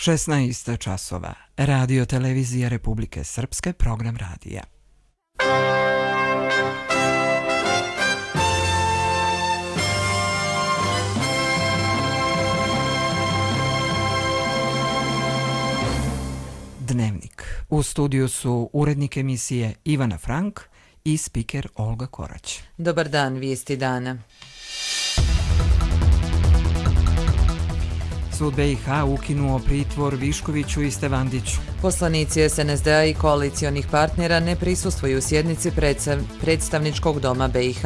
16 časova. Radio Televizija Republike Srpske, program radija. Dnevnik. U studiju su urednik emisije Ivana Frank i spiker Olga Korać. Dobar dan, vijesti dana. Sud BiH ukinuo pritvor Viškoviću i Stevandiću. Poslanici SNSD-a i koalicionih partnera ne prisustvuju sjednici predstavničkog doma BiH.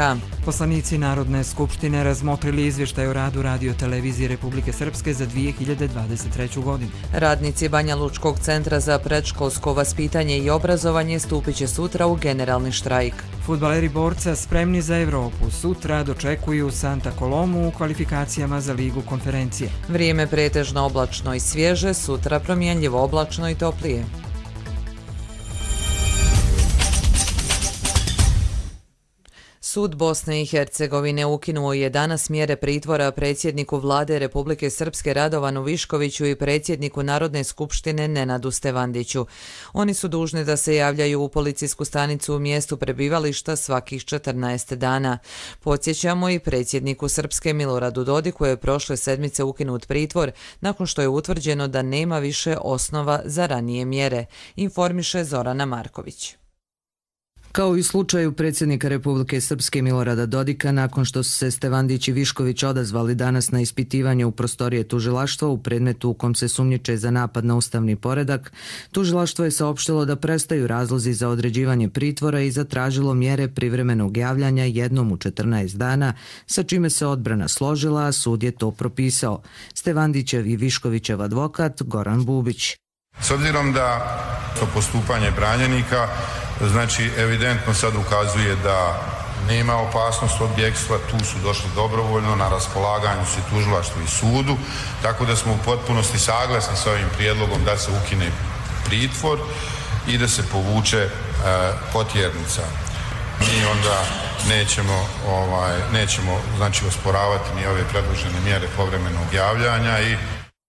Poslanici Narodne skupštine razmotrili izvještaj o radu Radio Televizije Republike Srpske za 2023. godinu. Radnici Banja Lučkog centra za predškolsko vaspitanje i obrazovanje stupit će sutra u generalni štrajk. Fudbaleri Borca spremni za Evropu sutra dočekuju Santa Colomu u kvalifikacijama za Ligu konferencije. Vrijeme pretežno oblačno i svježe, sutra promjenljivo oblačno i toplije. Sud Bosne i Hercegovine ukinuo je danas mjere pritvora predsjedniku vlade Republike Srpske Radovanu Viškoviću i predsjedniku Narodne skupštine Nenadu Stevandiću. Oni su dužni da se javljaju u policijsku stanicu u mjestu prebivališta svakih 14 dana. Podsjećamo, i predsjedniku Srpske Miloradu Dodiku je prošle sedmice ukinut pritvor nakon što je utvrđeno da nema više osnova za ranije mjere, informiše Zorana Marković. Kao i u slučaju predsjednika Republike Srpske Milorada Dodika, nakon što su se Stevandić i Višković odazvali danas na ispitivanje u prostorije tužilaštva u predmetu u kom se sumnjiče za napad na ustavni poredak, tužilaštvo je saopštilo da prestaju razlozi za određivanje pritvora i zatražilo mjere privremenog javljanja jednom u 14 dana, sa čime se odbrana složila, a sud je to propisao. Stevandićev i Viškovićev advokat Goran Bubić. S obzirom da to postupanje branjenika znači evidentno sad ukazuje da nema opasnost od bjegstva, tu su došli dobrovoljno, na raspolaganju su tužilaštvu i sudu, tako da smo u potpunosti saglasni s ovim prijedlogom da se ukine pritvor i da se povuče potjernica. Mi onda nećemo znači osporavati ni ove predložene mjere povremenog javljanja i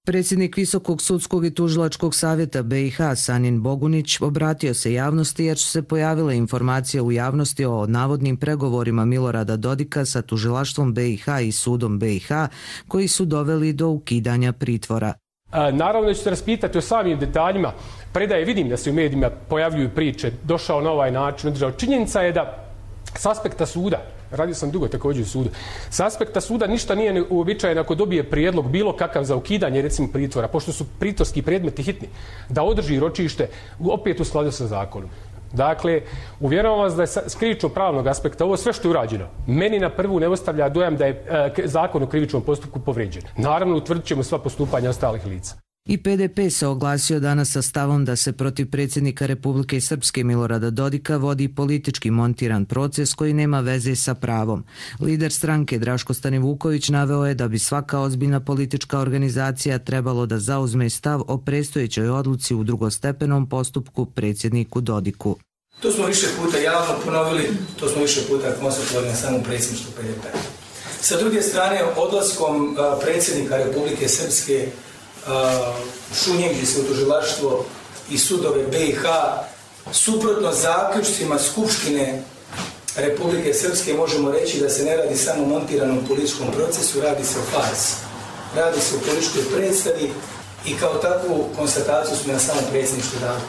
Predsjednik Visokog sudskog i tužilačkog savjeta BiH Sanin Bogunić obratio se javnosti jer su se pojavile informacije u javnosti o navodnim pregovorima Milorada Dodika sa tužilaštvom BiH i sudom BiH koji su doveli do ukidanja pritvora. Naravno da ću se raspitati o samim detaljima. Predaje, vidim da se u medijima pojavljuju priče, došao na ovaj način, održao. Činjenica je da s aspekta suda, radio sam dugo također u sudu, s aspekta suda ništa nije uobičajeno ako dobije prijedlog bilo kakav za ukidanje recimo pritvora, pošto su pritvorski predmeti hitni, da održi ročište opet u skladu sa zakonom. Dakle, uvjeravam vas da je s krivično-pravnog aspekta ovo sve što je urađeno meni na prvu ne ostavlja dojam da je zakon o krivičnom postupku povrijeđen. Naravno, utvrdit ćemo sva postupanja ostalih lica. I PDP se oglasio danas sa stavom da se protiv predsjednika Republike Srpske Milorada Dodika vodi politički montiran proces koji nema veze sa pravom. Lider stranke Draško Stanivuković naveo je da bi svaka ozbiljna politička organizacija trebalo da zauzme stav o predstojećoj odluci u drugostepenom postupku predsjedniku Dodiku. To smo više puta javno ponovili, to smo više puta konstatovali na samom predsjedništvu PDP. Sa druge strane, odlaskom predsjednika Republike Srpske šunjenji se u tužilaštvo i sudove BiH suprotno zaključcima Skupštine Republike Srpske možemo reći da se ne radi samo o montiranom političkom procesu, radi se o farsi. Radi se o političkoj predstavi i kao takvu konstataciju smo na samom predsjedništvu dali.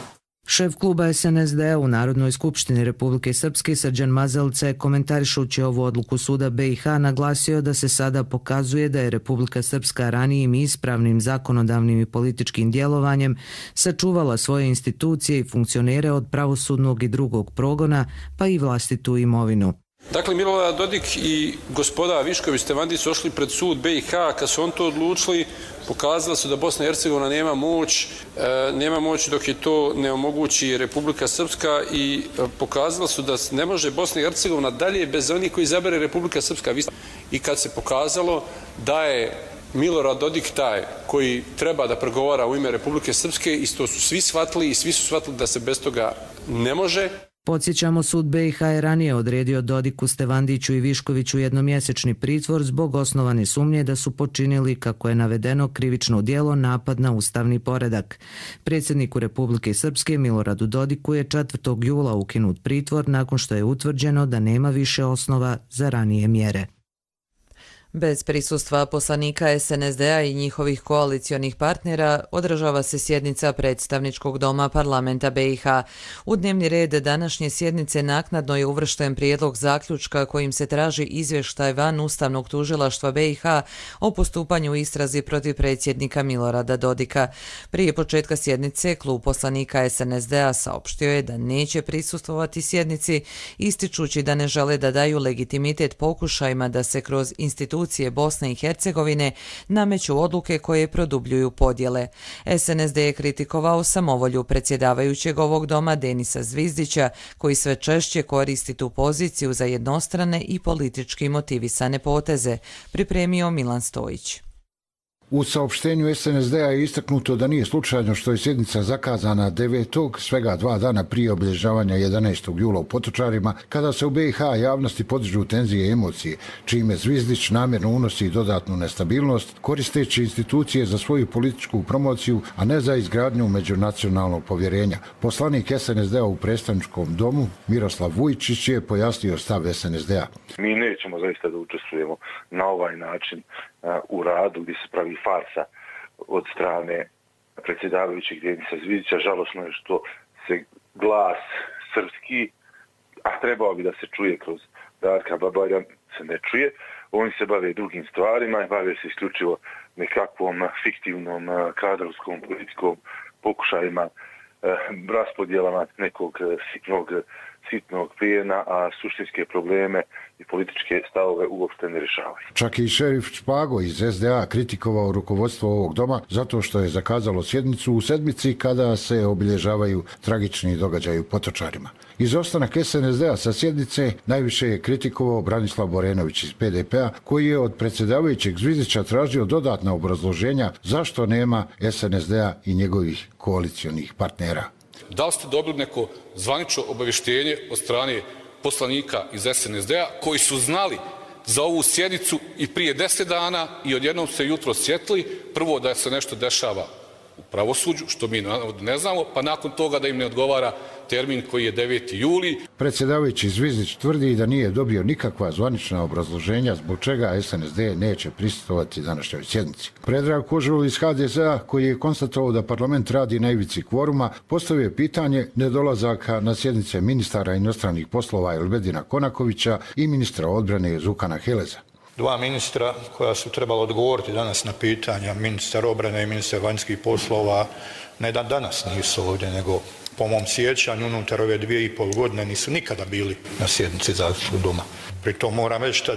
Šef kluba SNSD u Narodnoj skupštini Republike Srpske Srđan Mazelce, komentarišući ovu odluku suda BiH, naglasio da se sada pokazuje da je Republika Srpska ranijim i ispravnim zakonodavnim i političkim djelovanjem sačuvala svoje institucije i funkcionere od pravosudnog i drugog progona, pa i vlastitu imovinu. Dakle, Milorad Dodik i gospoda Višković Stevandić su ošli pred sud BiH. Kad su on to odlučili, pokazali su da Bosna i Hercegovina nema moć dok je to ne omogući Republika Srpska i pokazali su da ne može Bosna i Hercegovina dalje bez onih koji izabere Republika Srpska. I kad se pokazalo da je Milorad Dodik taj koji treba da pregovara u ime Republike Srpske, isto su svi shvatili i svi su shvatili da se bez toga ne može. Podsjećamo, sud BiH je ranije odredio Dodiku, Stevandiću i Viškoviću jednomjesečni pritvor zbog osnovane sumnje da su počinili, kako je navedeno, krivično djelo napad na ustavni poredak. Predsjedniku Republike Srpske Miloradu Dodiku je 4. jula ukinut pritvor nakon što je utvrđeno da nema više osnova za ranije mjere. Bez prisustva poslanika SNSD-a i njihovih koalicionih partnera održava se sjednica predstavničkog doma parlamenta BiH. U dnevni red današnje sjednice naknadno je uvršten prijedlog zaključka kojim se traži izvještaj van Ustavnog tužilaštva BiH o postupanju u istrazi protiv predsjednika Milorada Dodika. Prije početka sjednice klub poslanika SNSD-a saopštio je da neće prisustvovati sjednici, ističući da ne žele da daju legitimitet pokušajima da se kroz institucije Bosne i Hercegovine nameću odluke koje produbljuju podjele. SNSD je kritikovao samovolju predsjedavajućeg ovog doma Denisa Zvizdića, koji sve češće koristi tu poziciju za jednostrane i politički motivisane poteze, pripremio Milan Stojić. U saopštenju SNSD-a je istaknuto da nije slučajno što je sjednica zakazana 9. svega 2 dana prije obilježavanja 11. jula u Potočarima, kada se u BiH javnosti podižu tenzije i emocije, čime Zvizdić namjerno unosi dodatnu nestabilnost, koristeći institucije za svoju političku promociju, a ne za izgradnju međunacionalnog povjerenja. Poslanik SNSD-a u predstavničkom domu Miroslav Vujčić je pojasnio stav SNSD-a. Mi nećemo zaista da učestvujemo na ovaj način u radu gdje se pravi farsa od strane predsjedavajućeg Denisa Zvizdića. Žalosno je što se glas srpski, a trebao bi da se čuje kroz Darka Babarja, se ne čuje. Oni se bave drugim stvarima i bave se isključivo nekakvom fiktivnom kadrovskom politikom pokušajima raspodjelama nekog sitnog plijena, a suštinske probleme i političke stavove uopšte ne rješavaju. Čak i šerif Špago iz SDA kritikovao rukovodstvo ovog doma zato što je zakazalo sjednicu u sedmici kada se obilježavaju tragični događaji u Potočarima. Izostanak SNSD-a sa sjednice najviše je kritikovao Branislav Borenović iz PDP-a, koji je od predsjedavajućeg Zvizdića tražio dodatna obrazloženja zašto nema SNSD-a i njegovih koalicionih partnera. Da li ste dobili neko zvanično obavještenje od strane poslanika iz SNSD-a koji su znali za ovu sjednicu i prije 10 dana i odjednom se jutro sjetili, prvo da se nešto dešava u pravosuđu, što mi ne znamo, pa nakon toga da im ne odgovara termin koji je 9. juli. Predsjedavajući Zvizdić tvrdi da nije dobio nikakva zvanična obrazloženja zbog čega SNSD neće prisustvovati današnjoj sjednici. Predrag Kožul iz HDZ-a, koji je konstatovao da parlament radi na ivici kvoruma, postavio pitanje nedolazaka na sjednice ministara inostranih poslova Elvedina Konakovića i ministra odbrane Zukana Heleza. Dva ministra koja su trebala odgovoriti danas na pitanja, ministar obrane i ministar vanjskih poslova, ne da danas nisu ovdje, nego po mom sjećanju unutar ove 2,5 godine nisu nikada bili na sjednici Zagrebačkog doma. Pritom moram reći da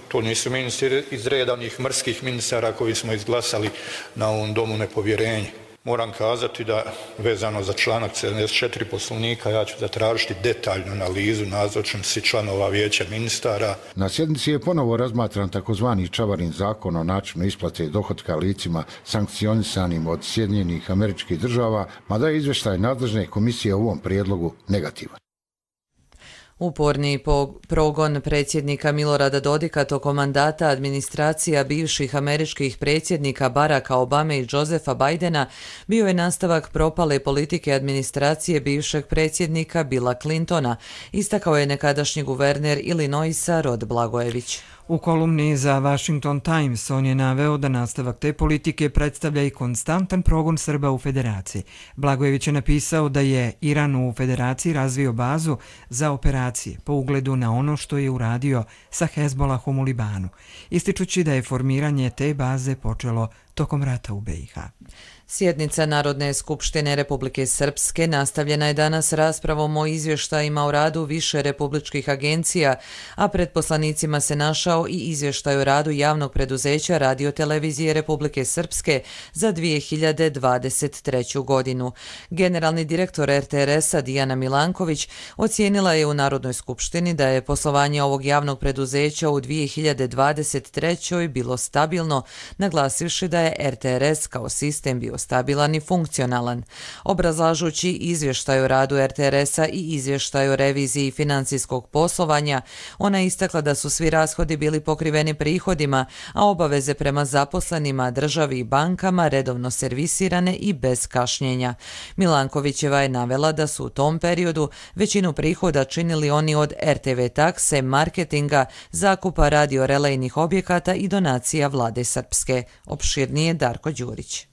to nisu ministri iz reda onih mrskih ministara koji smo izglasali na ovom domu nepovjerenje. Moram kazati da vezano za članak 74 Poslovnika ja ću zatražiti detaljnu analizu nazočnosti članova vijeća ministara. Na sjednici je ponovo razmatran takozvani Čavarin zakon o načinu isplate dohotka licima sankcionisanim od Sjedinjenih Američkih Država, mada je izvještaj nadležne komisije u ovom prijedlogu negativan. Uporni progon predsjednika Milorada Dodika tokom mandata administracija bivših američkih predsjednika Baracka Obame i Josepha Bidena bio je nastavak propale politike administracije bivšeg predsjednika Billa Clintona, istakao je nekadašnji guverner Illinoisa Rod Blagojević. U kolumni za Washington Times on je naveo da nastavak te politike predstavlja i konstantan progon Srba u Federaciji. Blagojević je napisao da je Iran u Federaciji razvio bazu za operacije po ugledu na ono što je uradio sa Hezbolahom u Libanu, ističući da je formiranje te baze počelo tokom rata u BiH. Sjednica Narodne skupštine Republike Srpske nastavljena je danas raspravom o izvještajima o radu više republičkih agencija, a pred poslanicima se našao i izvještaj o radu javnog preduzeća Radio-televizije Republike Srpske za 2023. godinu. Generalni direktor RTRS-a Dijana Milanković ocijenila je u Narodnoj skupštini da je poslovanje ovog javnog preduzeća u 2023. bilo stabilno, naglasivši da je je RTRS kao sistem bio stabilan i funkcionalan. Obrazlažući izvještaj o radu RTRS-a i izvještaj o reviziji financijskog poslovanja, ona je istakla da su svi rashodi bili pokriveni prihodima, a obaveze prema zaposlenima, državi i bankama redovno servisirane i bez kašnjenja. Milankovićeva je navela da su u tom periodu većinu prihoda činili oni od RTV takse, marketinga, zakupa radiorelejnih objekata i donacija vlade Srpske. Opširnije Darko Đurić.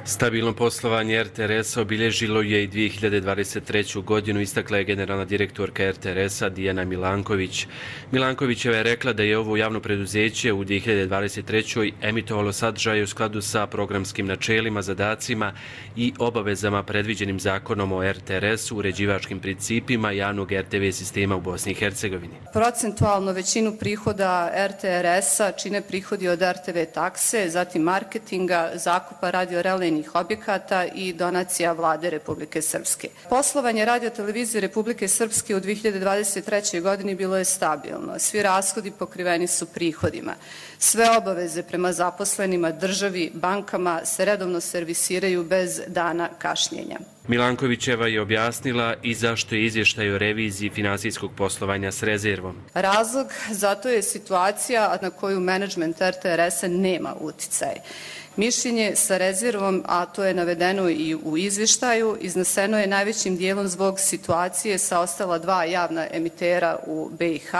Stabilno poslovanje RTRS-a obilježilo je i 2023. godinu, istakla je generalna direktorka RTRS-a Dijana Milanković. Milankovićeva je rekla da je ovo javno preduzeće u 2023. emitovalo sadržaje u skladu sa programskim načelima, zadacima i obavezama predviđenim zakonom o RTRS-u, uređivačkim principima javnog RTV sistema u Bosni i Hercegovini. Procentualno većinu prihoda RTRS-a čine prihodi od RTV takse, zatim marketinga, zakupa radiorelejnih objekata i donacija vlade Republike Srpske. Poslovanje radiotelevizije Republike Srpske u 2023. godini bilo je stabilno. Svi rashodi pokriveni su prihodima. Sve obaveze prema zaposlenima, državi, bankama se redovno servisiraju bez dana kašnjenja. Milankovićeva je objasnila i zašto je izvještaj o reviziji finansijskog poslovanja s rezervom. Razlog za to je situacija na koju menadžment RTRS-a nema uticaj. Mišljenje sa rezervom, a to je navedeno i u izvještaju, izneseno je najvećim dijelom zbog situacije sa ostala dva javna emitera u BiH,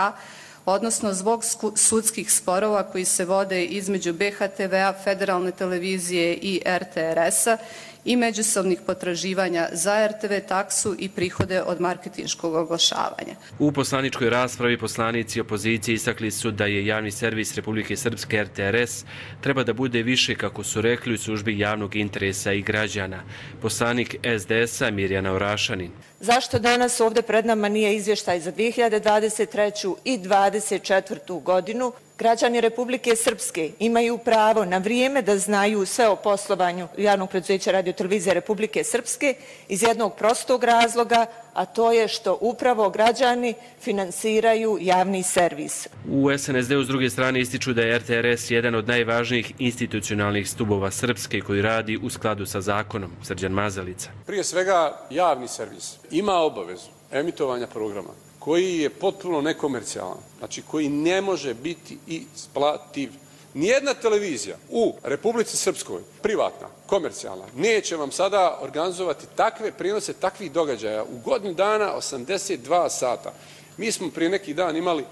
odnosno zbog sudskih sporova koji se vode između BHTV-a, Federalne televizije i RTRS-a i međusobnih potraživanja za RTV taksu i prihode od marketinškog oglašavanja. U poslaničkoj raspravi poslanici opozicije istakli su da je javni servis Republike Srpske RTRS treba da bude više, kako su rekli, u službi javnog interesa i građana. Poslanik SDS-a Mirjana Orašanin. Zašto danas ovdje pred nama nije izvještaj za 2023. i 2024. godinu? Građani Republike Srpske imaju pravo na vrijeme da znaju sve o poslovanju javnog preduzeća radiotelevizije Republike Srpske iz jednog prostog razloga, a to je što upravo građani finansiraju javni servis. U SNSD-u s druge strane ističu da je RTRS jedan od najvažnijih institucionalnih stubova Srpske koji radi u skladu sa zakonom. Srđan Mazalica. Prije svega, javni servis ima obavezu emitovanja programa koji je potpuno nekomercijalan, znači koji ne može biti isplativ. Nijedna televizija u Republici Srpskoj, privatna, komercijalna, neće vam sada organizovati takve prenose takvih događaja u godinu dana 82 sata. Mi smo prije neki dan imali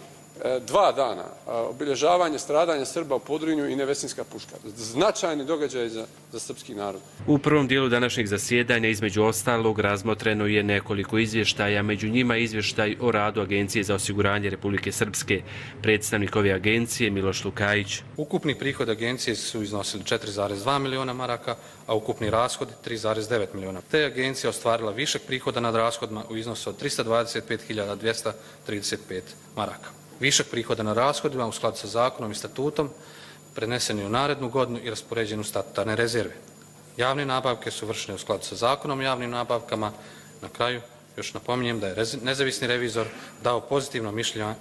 2 dana obilježavanje stradanja Srba u Podrinju i Nevesinska puška. Značajni događaj za srpski narod. U prvom dijelu današnjeg zasjedanja između ostalog razmotreno je nekoliko izvještaja, među njima izvještaj o radu Agencije za osiguranje Republike Srpske. Predstavnik ove agencije Miloš Lukajić. Ukupni prihod agencije su iznosili 4,2 miliona maraka, a ukupni rashodi 3,9 miliona. Te agencija ostvarila višak prihoda nad rashodima u iznosu od 325.235 maraka. Višak prihoda na rashodima u skladu sa zakonom i statutom prenesen je u narednu godinu i raspoređen u statutarne rezerve. Javne nabavke su vršene u skladu sa zakonom o javnim nabavkama. Na kraju još napominjem da je nezavisni revizor dao pozitivno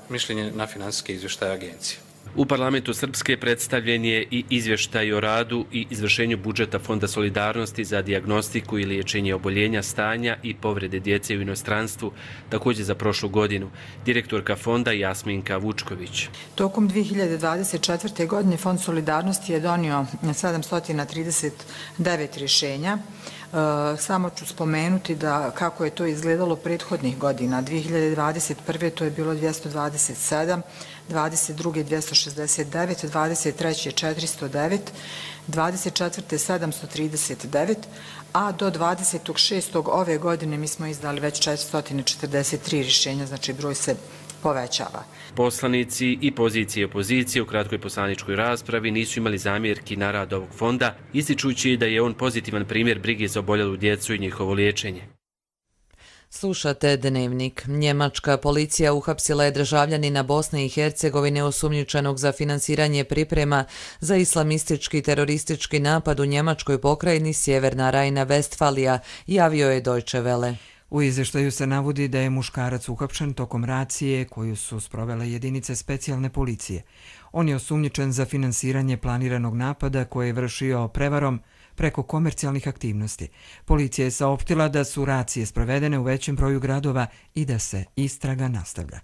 mišljenje na finansijske izvještaje agencije. U parlamentu Srpske predstavljen je i izvještaj o radu i izvršenju budžeta Fonda solidarnosti za dijagnostiku i liječenje oboljenja, stanja i povrede djece u inostranstvu, također za prošlu godinu. Direktorka fonda Jasminka Vučković. Tokom 2024. godine Fond solidarnosti je donio 739 rješenja. Samo ću spomenuti da kako je to izgledalo prethodnih godina. 2021. to je bilo 227, 22. 269, 23. 409, 24. 739, a do 26. ove godine mi smo izdali već 443 rješenja, znači broj se povećava. Poslanici i pozicije i opozicije u kratkoj poslaničkoj raspravi nisu imali zamjerki na rad ovog fonda, ističući da je on pozitivan primjer brige za oboljelu djecu i njihovo liječenje. Slušate Dnevnik. Njemačka policija uhapsila je državljanina Bosne i Hercegovine osumnjičenog za finansiranje priprema za islamistički teroristički napad u njemačkoj pokrajini Sjeverna Rajna-Vestfalija, javio je Deutsche Welle. U izvještaju se navodi da je muškarac uhapšen tokom racije koju su sprovele jedinice specijalne policije. On je osumnjičen za finansiranje planiranog napada koje je vršio prevarom preko komercijalnih aktivnosti. Policija je saopštila da su racije sprovedene u većem broju gradova i da se istraga nastavlja.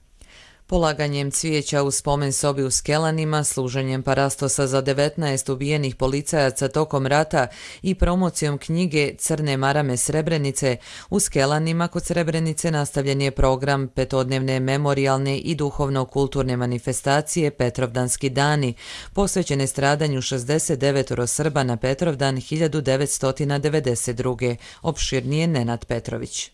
Polaganjem cvijeća u spomen sobi u Skelanima, služenjem parastosa za 19 ubijenih policajaca tokom rata i promocijom knjige Crne marame Srebrenice, u Skelanima kod Srebrenice nastavljen je program petodnevne memorijalne i duhovno-kulturne manifestacije Petrovdanski dani, posvećene stradanju 69 Srba na Petrovdan 1992. Opširnije Nenad Petrović.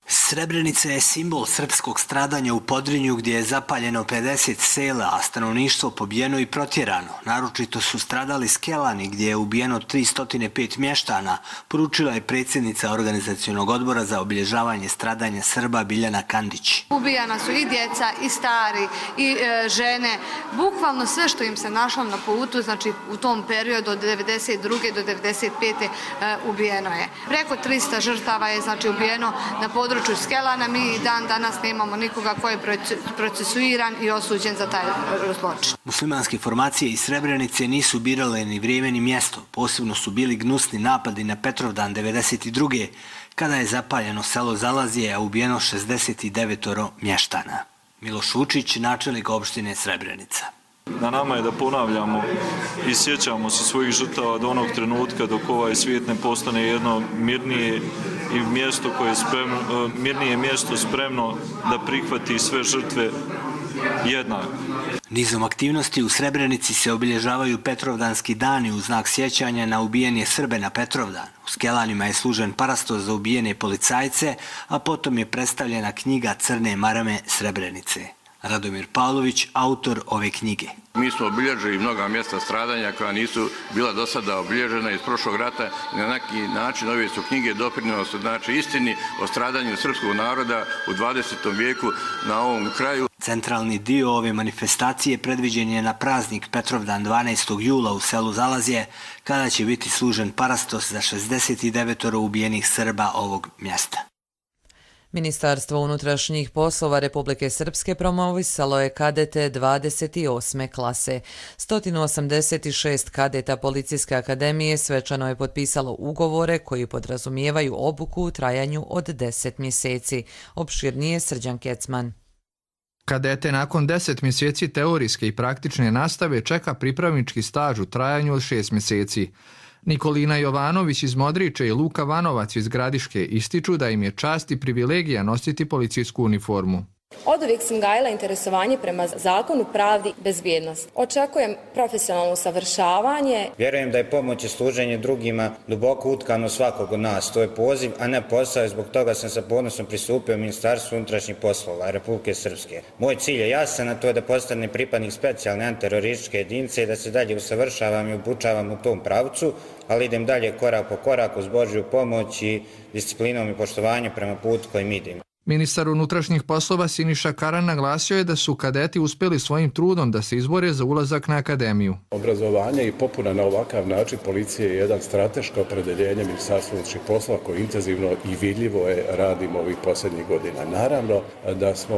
Srebrenica je simbol srpskog stradanja u Podrinju gdje je zapaljeno 50 sela, a stanovništvo pobijeno i protjerano. Naročito su stradali Skelani gdje je ubijeno 305 mještana, poručila je predsjednica organizacionog odbora za obilježavanje stradanja Srba Biljana Kandić. Ubijana su i djeca, i stari, i žene, bukvalno sve što im se našlo na putu, znači u tom periodu od 92. do 95. ubijeno je. Preko 300 žrtava je znači ubijeno na području Skelana. Mi dan danas nemamo nikoga ko je procesuiran i osuđen za taj zločin. Muslimanske formacije iz Srebrenice nisu birale ni vrijeme ni mjesto. Posebno su bili gnusni napadi na Petrovdan 92. kada je zapaljeno selo Zalazije, a ubijeno 69 mještana. Miloš Vučić, načelnik opštine Srebrenica. Na nama je da ponavljamo i sjećamo se svojih žrtava do onog trenutka dok ovaj svijet ne postane jedno mirnije i mjesto koje je spremno, mirnije mjesto spremno da prihvati sve žrtve jednako. Nizom aktivnosti u Srebrenici se obilježavaju Petrovdanski dani u znak sjećanja na ubijene Srbe na Petrovdan. U Skelanima je služen parastos za ubijene policajce, a potom je predstavljena knjiga Crne marame Srebrenice. Radomir Pavlović, autor ove knjige. Mi smo obilježili mnoga mjesta stradanja koja nisu bila do sada obilježena iz prošlog rata i na neki način ove su knjige doprinose znači istini o stradanju srpskog naroda u 20. vijeku na ovom kraju. Centralni dio ove manifestacije predviđen je na praznik Petrovdan 12. jula u selu Zalazje, kada će biti služen parastos za 69 ubijenih Srba ovog mjesta. Ministarstvo unutrašnjih poslova Republike Srpske promovisalo je kadete 28. klase. 186 kadeta Policijske akademije svečano je potpisalo ugovore koji podrazumijevaju obuku u trajanju od 10 mjeseci. Opširnije Srđan Kecman. Kadete nakon 10 mjeseci teorijske i praktične nastave čeka pripravnički staž u trajanju od 6 mjeseci. Nikolina Jovanović iz Modriče i Luka Vanovac iz Gradiške ističu da im je čast i privilegija nositi policijsku uniformu. Oduvijek sam gajila interesovanje prema zakonu, pravdi, bezbjednosti. Očekujem profesionalno usavršavanje. Vjerujem da je pomoć i služenje drugima duboko utkano svakog od nas. To je poziv, a ne posao, i zbog toga sam sa ponosom pristupio Ministarstvu unutrašnjih poslova Republike Srpske. Moj cilj je jasan, a to je da postane pripadnik specijalne antiterorističke jedinice i da se dalje usavršavam i obučavam u tom pravcu, ali idem dalje korak po koraku uz Božju pomoć i disciplinom i poštovanjem prema putu kojim idem. Ministar unutrašnjih poslova Siniša Karan naglasio je da su kadeti uspjeli svojim trudom da se izbore za ulazak na akademiju. Obrazovanje i popuna na ovakav način policije je jedan strateško opredeljenje Ministarstva unutrašnjih poslova koji intenzivno i vidljivo radimo ovih posljednjih godina. Naravno da smo,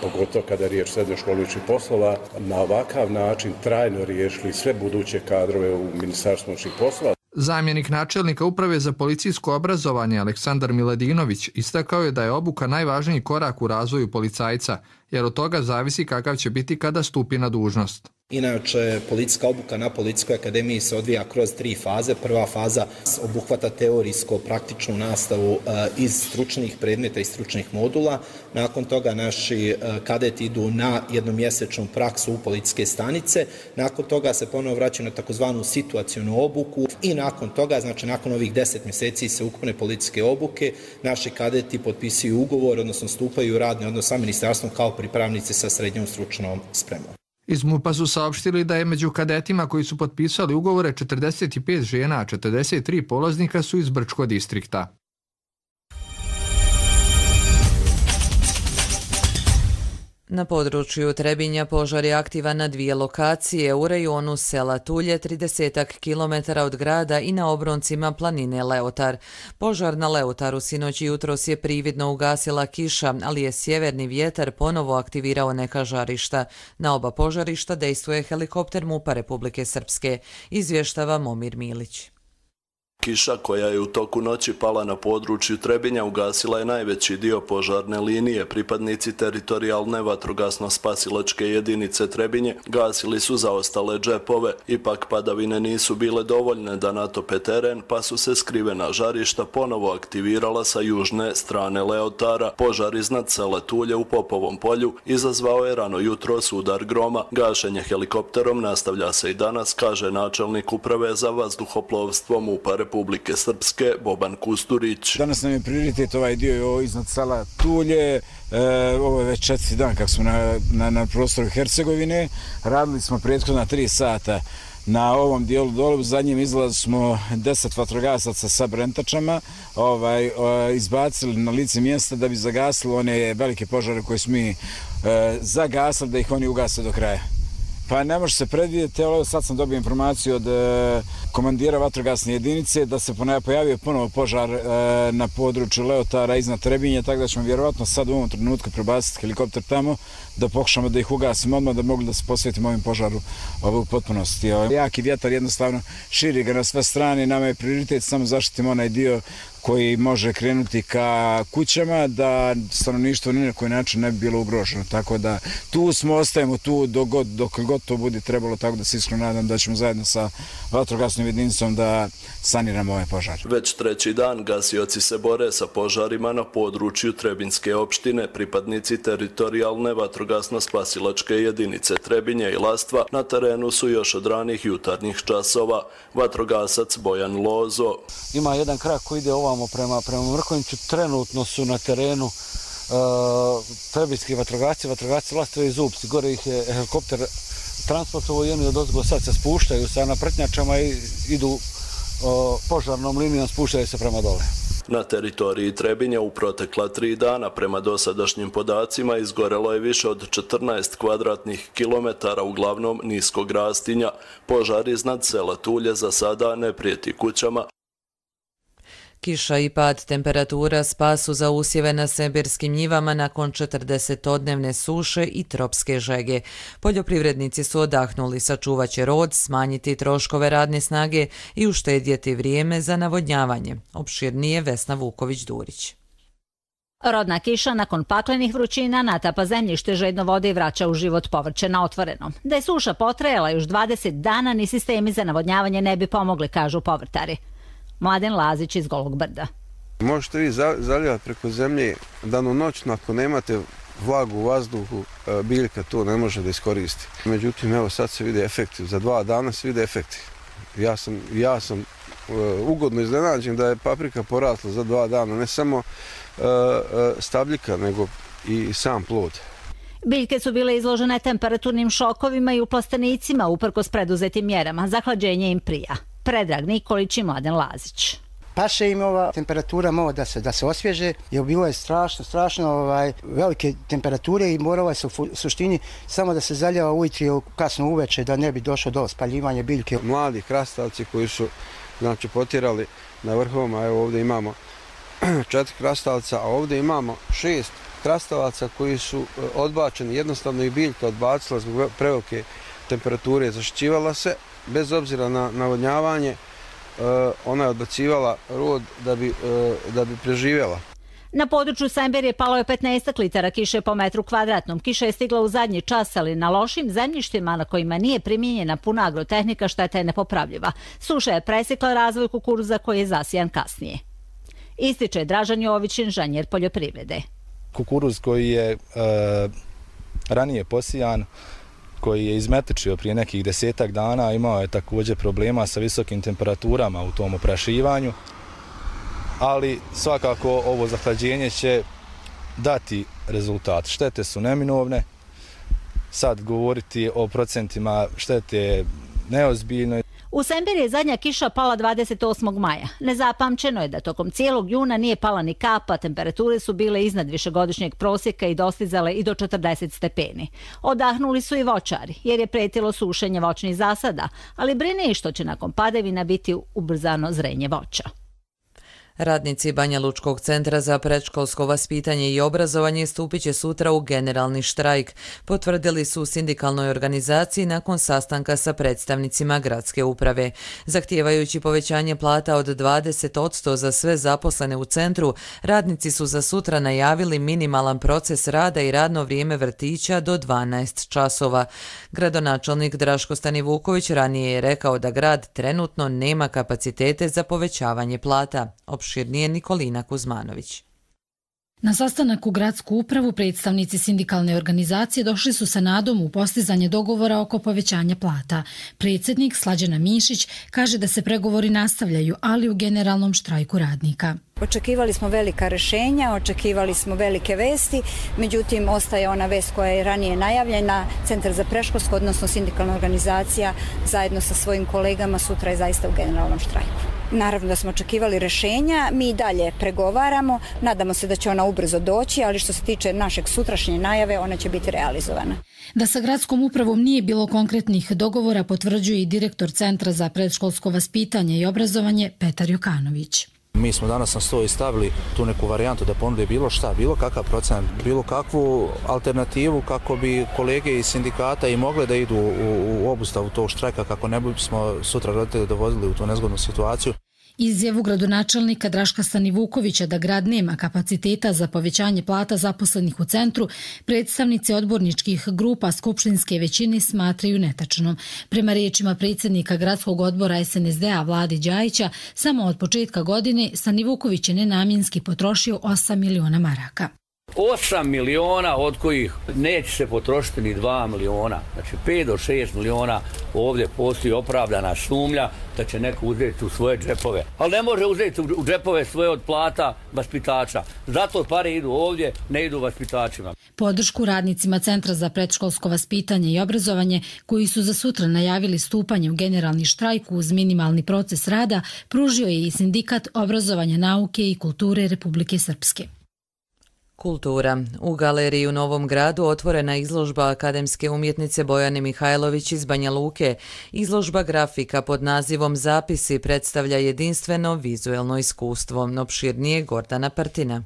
pogotovo kada je riječ srednjoj školi unutrašnjih poslova, na ovakav način trajno riješili sve buduće kadrove u Ministarstvu unutrašnjih poslova. Zamjenik načelnika Uprave za policijsko obrazovanje Aleksandar Miladinović istakao je da je obuka najvažniji korak u razvoju policajca, jer od toga zavisi kakav će biti kada stupi na dužnost. Inače, policijska obuka na Policijskoj akademiji se odvija kroz 3 faze. Prva faza obuhvata teorijsko-praktičnu nastavu iz stručnih predmeta i stručnih modula. Nakon toga naši kadeti idu na jednomjesečnu praksu u policijske stanice. Nakon toga se ponovo vraćaju na takozvanu situacionu obuku i nakon toga, znači nakon ovih 10 mjeseci se ukupne policijske obuke, naši kadeti potpisuju ugovor, odnosno stupaju u radni odnos sa ministarstvom kao pripravnici sa srednjom stručnom spremom. Iz MUP-a su saopštili da je među kadetima koji su potpisali ugovore 45 žena, a 43 polaznika su iz Brčkog distrikta. Na području Trebinja požar je aktivan na 2 lokacije u rejonu sela Tulje, 30 km od grada i na obroncima planine Leotar. Požar na Leotaru sinoć i jutros je prividno ugasila kiša, ali je sjeverni vjetar ponovo aktivirao neka žarišta. Na oba požarišta dejstvuje helikopter MUP-a Republike Srpske, izvještava Momir Milić. Kiša koja je u toku noći pala na području Trebinja ugasila je najveći dio požarne linije. Pripadnici teritorijalne vatrogasno-spasilačke jedinice Trebinje gasili su zaostale džepove. Ipak padavine nisu bile dovoljne da natope teren, pa su se skrivena žarišta ponovo aktivirala sa južne strane Leotara. Požar iznad sela Tulje u Popovom polju izazvao je rano jutros udar groma. Gašenje helikopterom nastavlja se i danas, kaže načelnik uprave za vazduhoplovstvo MUP-a Republike Srpske Boban Kusturić. Danas nam je prioritet ovaj dio iznad sela Tulje. Ovo je već 4. dan kako smo na prostoru Hercegovine. Radili smo prethodna 3 sata na ovom dijelu dole. U zadnjem izlazu smo 10 vatrogasaca sa brentačama izbacili na lice mjesta da bi zagasili one velike požare koje smo mi zagasili, da ih oni ugase do kraja. Pa ne može se predvidjeti, ali sad sam dobio informaciju od komandira vatrogasne jedinice da se pojavio ponovo požar na području Leotara iznad Trebinja, tako da ćemo vjerovatno sad u ovom trenutku prebaciti helikopter tamo da pokušamo da ih ugasimo odmah, da mogli da se posvetimo ovim požaru u potpunosti. Jaki vjetar jednostavno širi ga na sve strane, nama je prioritet samo zaštitimo onaj dio koji može krenuti ka kućama, da stanovništvo ni na koji način ne bi bilo ugroženo. Tako da tu smo, ostajemo tu dok god to bude trebalo, tako da se iskreno nadam da ćemo zajedno sa vatrogasnom jedinicom da saniramo ovaj požar. Već 3. dan gasioci se bore sa požarima na području Trebinjske opštine. Pripadnici teritorijalne vatrogasno-spasilačke jedinice Trebinje i Lastva na terenu su još od ranih jutarnjih časova. Vatrogasac Bojan Lozo. Ima jedan krak koji ide ovamo prema Mrkonjiću. Trenutno su na terenu trebinjski vatrogasci Lastove i Zupci. Gore ih je helikopter transportovo i oni odozgo sad se spuštaju sa napretnjačama i idu požarnom linijom, spuštaju se prema dole. Na teritoriji Trebinja u protekla 3 dana prema dosadašnjim podacima izgorelo je više od 14 kvadratnih kilometara, uglavnom niskog rastinja. Požar iznad sela Tulje za sada ne prijeti kućama. Kiša i pad temperatura spasu za usjeve na sibirskim njivama nakon 40-dnevne suše i tropske žege. Poljoprivrednici su odahnuli, sačuvat će rod, smanjiti troškove radne snage i uštedjeti vrijeme za navodnjavanje. Opširnije Vesna Vuković-Durić. Rodna kiša nakon paklenih vrućina natapa zemljište žedno vode i vraća u život povrće na otvorenom. Da je suša potrajala još 20 dana, ni sistemi za navodnjavanje ne bi pomogli, kažu povrtari. Mladen Lazić iz Golog Brda. Možete vi zalijati preko zemlje danonoćno, ako nemate vlagu u vazduhu, biljka to ne može da iskoristi. Međutim, evo sad se vide efekti, za 2 dana se vide efekti. Ja sam ugodno iznenađen da je paprika porasla za 2 dana, ne samo stabljika, nego i sam plod. Biljke su bile izložene temperaturnim šokovima i u plastenicima uprkos preduzetim mjerama. Zahlađenje im prija. Predrag Nikolić i Mladen Lazić. Paše im ova temperatura malo da se osvježe, jer bilo je strašno velike temperature i moralo je se u suštini samo da se zaljeva ujutro kasno uveče da ne bi došlo do spaljivanja biljke. Mladi krastavci koji su potjerali na vrhovima, evo ovdje imamo 4 krastavca, a ovdje imamo 6 krastavaca koji su odbačeni, jednostavno i biljka odbacila zbog prevelike temperature, zaštićivala se. Bez obzira na navodnjavanje, ona je odbacivala rod da bi preživjela. Na području Semberije palo je 15 litara kiše po metru kvadratnom. Kiša je stigla u zadnji čas, ali na lošim zemljištima na kojima nije primijenjena puna agrotehnika šteta je nepopravljiva. Suša je presekla razvoj kukuruza koji je zasijan kasnije. Ističe Dražan Jović, inženjer poljoprivrede. Kukuruz koji je ranije posijan, koji je izmetečio prije nekih 10 dana, imao je također problema sa visokim temperaturama u tom oprašivanju, ali svakako ovo zahlađenje će dati rezultat. Štete su neminovne, sad govoriti o procentima štete je neozbiljno. U Sembiri je zadnja kiša pala 28. maja. Nezapamćeno je da tokom cijelog juna nije pala ni kapa, temperature su bile iznad višegodišnjeg prosjeka i dostizale i do 40 stepeni. Odahnuli su i voćari, jer je pretilo sušenje voćnih zasada, ali brine i što će nakon padavina biti ubrzano zrenje voća. Radnici Banja Lučkog centra za predškolsko vaspitanje i obrazovanje stupit će sutra u generalni štrajk, potvrdili su u sindikalnoj organizaciji nakon sastanka sa predstavnicima gradske uprave. Zahtijevajući povećanje plata od 20% za sve zaposlene u centru, radnici su za sutra najavili minimalan proces rada i radno vrijeme vrtića do 12 časova. Gradonačelnik Draško Stanivuković ranije je rekao da grad trenutno nema kapacitete za povećavanje plata. Opširnije Nikolina Kuzmanović. Na sastanak u gradsku upravu predstavnici sindikalne organizacije došli su sa nadom u postizanje dogovora oko povećanja plata. Predsjednik Slađana Mišić kaže da se pregovori nastavljaju, ali u generalnom štrajku radnika. Očekivali smo velika rješenja, očekivali smo velike vesti, međutim ostaje ona vest koja je ranije najavljena. Centar za predškolsko, odnosno sindikalna organizacija zajedno sa svojim kolegama sutra je zaista u generalnom štrajku. Naravno da smo očekivali rješenja, mi i dalje pregovaramo, nadamo se da će ona ubrzo doći, ali što se tiče našeg sutrašnje najave, ona će biti realizovana. Da sa gradskom upravom nije bilo konkretnih dogovora, potvrđuje i direktor Centra za predškolsko vaspitanje i obrazovanje Petar Jokanović. Mi smo danas na stol stavili tu neku varijantu da ponude bilo šta, bilo kakav procent, bilo kakvu alternativu kako bi kolege iz sindikata i mogle da idu u obustavu tog štrajka kako ne bismo sutra roditelje dovodili u tu nezgodnu situaciju. Izjavu gradonačelnika Draška Stanivukovića da grad nema kapaciteta za povećanje plata zaposlenih u centru, predstavnici odborničkih grupa skupštinske većine smatraju netačnom. Prema riječima predsjednika gradskog odbora SNSD-a Vlade Đajića, samo od početka godine Stanivuković je nenamjenski potrošio 8 miliona maraka. 8 miliona od kojih neće se potrošiti ni 2 miliona. Znači 5 do 6 miliona ovdje postoji opravdana sumnja da će neko uzeti u svoje džepove. Ali ne može uzeti u džepove svoje od plata vaspitača. Zato pare idu ovdje, ne idu vaspitačima. Podršku radnicima Centra za predškolsko vaspitanje i obrazovanje, koji su za sutra najavili stupanje u generalni štrajk uz minimalni proces rada, pružio je i Sindikat obrazovanja, nauke i kulture Republike Srpske. Kultura. U galeriji u Novom Gradu otvorena izložba akademske umjetnice Bojane Mihajlović iz Banja Luke. Izložba grafika pod nazivom Zapisi predstavlja jedinstveno vizuelno iskustvo. Opširnije Gordana Partina.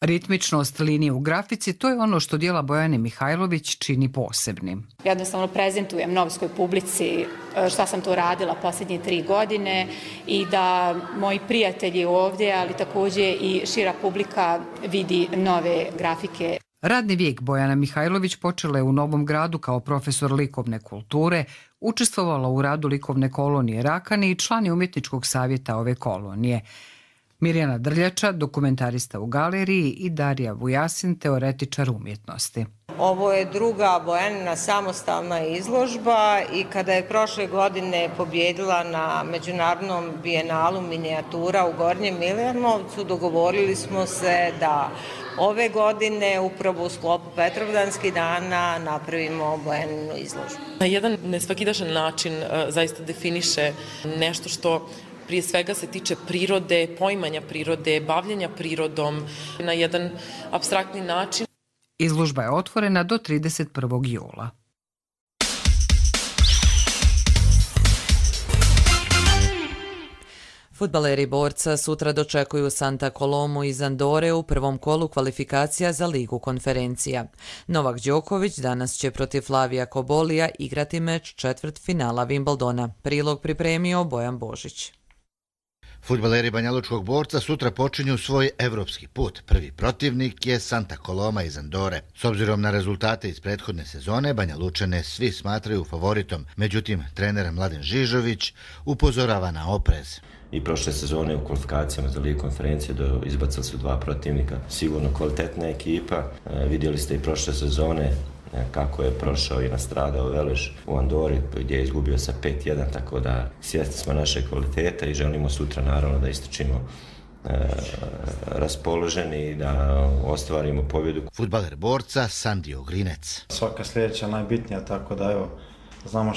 Ritmičnost linije u grafici, to je ono što djela Bojane Mihajlović čini posebnim. Jednostavno prezentujem novskoj publici šta sam to radila posljednje 3 godine i da moji prijatelji ovdje, ali također i šira publika vidi nove grafike. Radni vijek Bojana Mihajlović počela je u Novom Gradu kao profesor likovne kulture, učestvovala u radu likovne kolonije Rakani i član je umjetničkog savjeta ove kolonije. Mirjana Drljača, dokumentarista u galeriji, i Darija Vujasin, teoretičar umjetnosti. Ovo je druga Bojanina samostalna izložba i kada je prošle godine pobjedila na Međunarodnom bijenalu minijatura u Gornjem Milanovcu, dogovorili smo se da ove godine upravo u sklopu Petrovdanskih dana napravimo Bojaninu izložbu. Na jedan nesvakidašan način zaista definiše nešto što prije svega se tiče prirode, poimanja prirode, bavljenja prirodom na jedan apstraktni način. Izložba je otvorena do 31. jula. Fudbaleri Borca sutra dočekuju Santa Colomu iz Andore u prvom kolu kvalifikacija za Ligu konferencija. Novak Đoković danas će protiv Flavija Kobolija igrati meč četvrtfinala Wimbledona. Prilog pripremio Bojan Božić. Fudbaleri Banja Lučkog Borca sutra počinju svoj evropski put. Prvi protivnik je Santa Coloma iz Andore. S obzirom na rezultate iz prethodne sezone, Banja Lučane svi smatraju favoritom. Međutim, trener Mladen Žižović upozorava na oprez. I prošle sezone u kvalifikacijama za Ligu konferencije izbacili su 2 protivnika. Sigurno kvalitetna ekipa. Vidjeli ste i prošle sezone kako je prošao i nastradao Veleš u Andori gdje je izgubio sa 5-1, tako da svjesni smo naše kvaliteta i želimo sutra naravno da istrčimo raspoloženi i da ostvarimo pobjedu. Fudbaler Borca Sandio Grinec. Svaka sljedeća najbitnija, tako da evo, znamo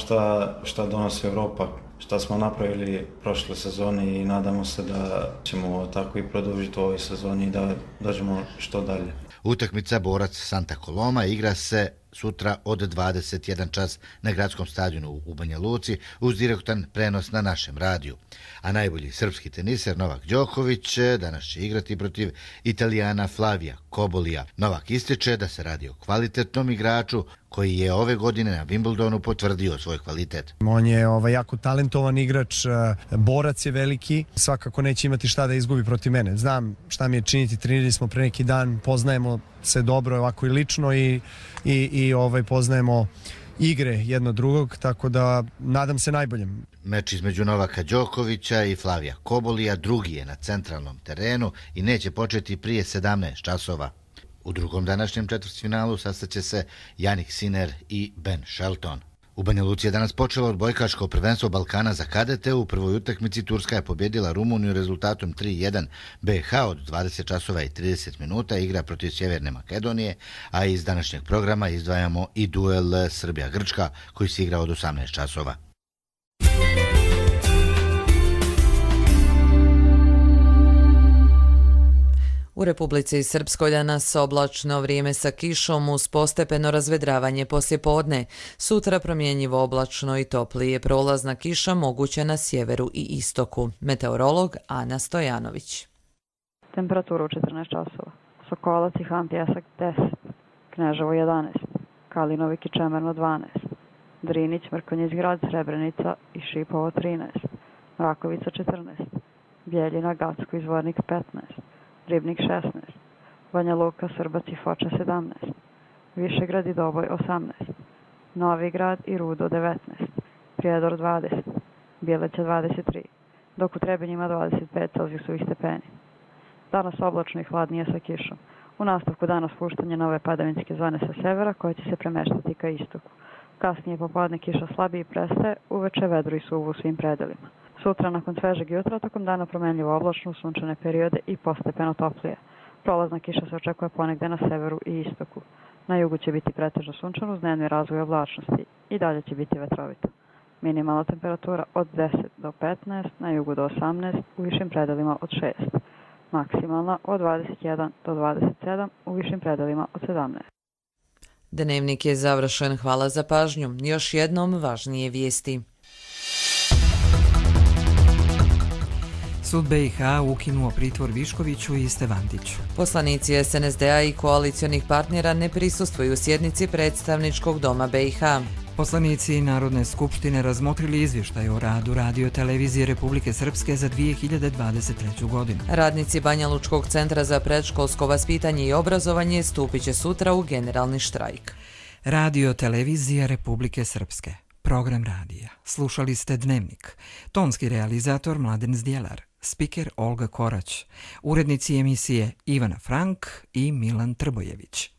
šta donosi Europa šta smo napravili prošle sezone i nadamo se da ćemo tako i produžiti u ovoj sezoni i da dođemo što dalje. Utakmica Borac Santa Coloma igra se sutra od 21 čas na gradskom stadionu u Banja Luci uz direktan prenos na našem radiju. A najbolji srpski teniser Novak Đoković danas će igrati protiv Italijana Flavija Kobolija. Novak ističe da se radi o kvalitetnom igraču koji je ove godine na Wimbledonu potvrdio svoj kvalitet. On je jako talentovan igrač, borac je veliki, svakako neće imati šta da izgubi protiv mene. Znam šta mi je činiti, trenirali smo pre neki dan, poznajemo se dobro ovako i lično i poznajemo igre jedno drugog, tako da nadam se najboljem. Meč između Novaka Đokovića i Flavija Kobolija drugi je na centralnom terenu i neće početi prije 17 časova. U drugom današnjem četvrtfinalu sastaće se Jannik Sinner i Ben Shelton. U Banja Luci je danas počelo odbojkaško prvenstvo Balkana za kadete. U prvoj utakmici Turska je pobjedila Rumuniju rezultatom 3:1. BiH od 20 časova i 30 minuta igra protiv Sjeverne Makedonije, a iz današnjeg programa izdvajamo i duel Srbija-Grčka koji se igra od 18 časova. U Republici Srpskoj danas oblačno vrijeme sa kišom uz postepeno razvedravanje poslijepodne. Sutra promjenjivo oblačno i toplije, prolazna kiša moguća na sjeveru i istoku. Meteorolog Ana Stojanović. Temperatura u 14 časova. Sokolac i Han Pjesak 10, Kneževo 11, Kalinovik i Čemerno 12, Drinić, Mrkonjić Grad, Srebrenica i Šipovo 13, Rakovica 14, Bjeljina, Gacko i Zvornik 15, Ribnik 16, Banja Luka, Srbac i Foča 17, Višegrad i Doboj 18, Novi Grad i Rudo 19, Prijedor 20, Bjeleća 23, dok u Trebinjima 25 celzijusovih stepeni. Danas oblačno i hladnije sa kišom. U nastavku dana spuštanje nove padavinske zone sa severa koje će se premeštati ka istoku. Kasnije popodne kiša slabije prestaje, uveče vedro i suvo u svim predelima. Sutra nakon svežeg jutra tokom dana promenljivo oblačno u sunčane periode i postepeno toplije. Prolazna kiša se očekuje ponegde na severu i istoku. Na jugu će biti pretežno sunčano uz dnevni razvoj oblačnosti i dalje će biti vetrovito. Minimalna temperatura od 10 do 15, na jugu do 18, u višim predelima od 6. Maksimalna od 21 do 27, u višim predelima od 17. Dnevnik je završen. Hvala za pažnju. Još jednom važnije vijesti. Sud BiH ukinuo pritvor Viškoviću i Stevandiću. Poslanici SNSD-a i koalicionih partnera ne prisustvuju sjednici predstavničkog doma BiH. Poslanici Narodne skupštine razmotrili izvještaj o radu Radio Televizije Republike Srpske za 2023. godinu. Radnici Banja Lučkog centra za predškolsko vaspitanje i obrazovanje stupit će sutra u generalni štrajk. Radio Televizija Republike Srpske. Program radija. Slušali ste Dnevnik. Tonski realizator Mladen Zdjelar. Spiker Olga Korać. Urednici emisije Ivana Frank i Milan Trbojević.